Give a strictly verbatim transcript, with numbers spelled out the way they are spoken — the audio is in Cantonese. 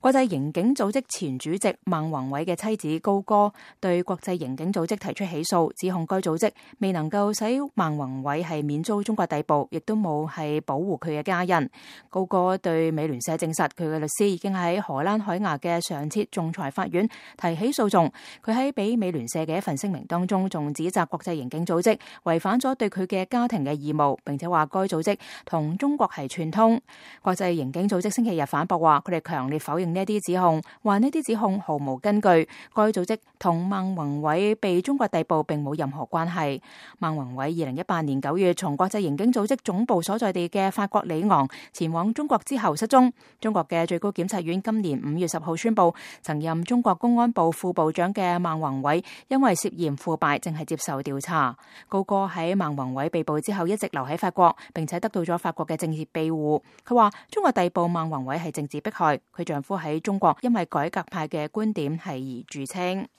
國際刑警組織前主席孟宏偉嘅妻子高歌對國際刑警組織提出起訴，指控該組織未能夠使孟宏偉係免遭中國逮捕，亦都冇係保護佢嘅家人。高歌對美聯社證實，佢嘅律師已經喺荷蘭海牙嘅上設仲裁法院提起訴訟。佢喺俾美聯社嘅一份聲明當中，仲指責國際刑警組織違反咗對佢嘅家庭嘅義務，並且話該組織同中國係串通。國際刑警組織星期日反駁話，佢哋強烈否認呢一啲指控，話呢啲指控毫無根據。該組織同孟宏偉被中國逮捕並冇任何關係。孟宏偉二零一八年九月從國際刑警組織總部所在地嘅法國里昂前往中國之後失蹤。中國嘅最高檢察院今年五月十號宣布，曾任中國公安部副部長嘅孟宏偉因為涉嫌腐敗，正係接受調查。高歌喺孟宏偉被捕之後一直留喺法國，並且得到咗法國嘅政治庇護。佢話中國逮捕孟宏偉係政治迫害，佢丈夫喺中國因為改革派嘅觀點係而著稱。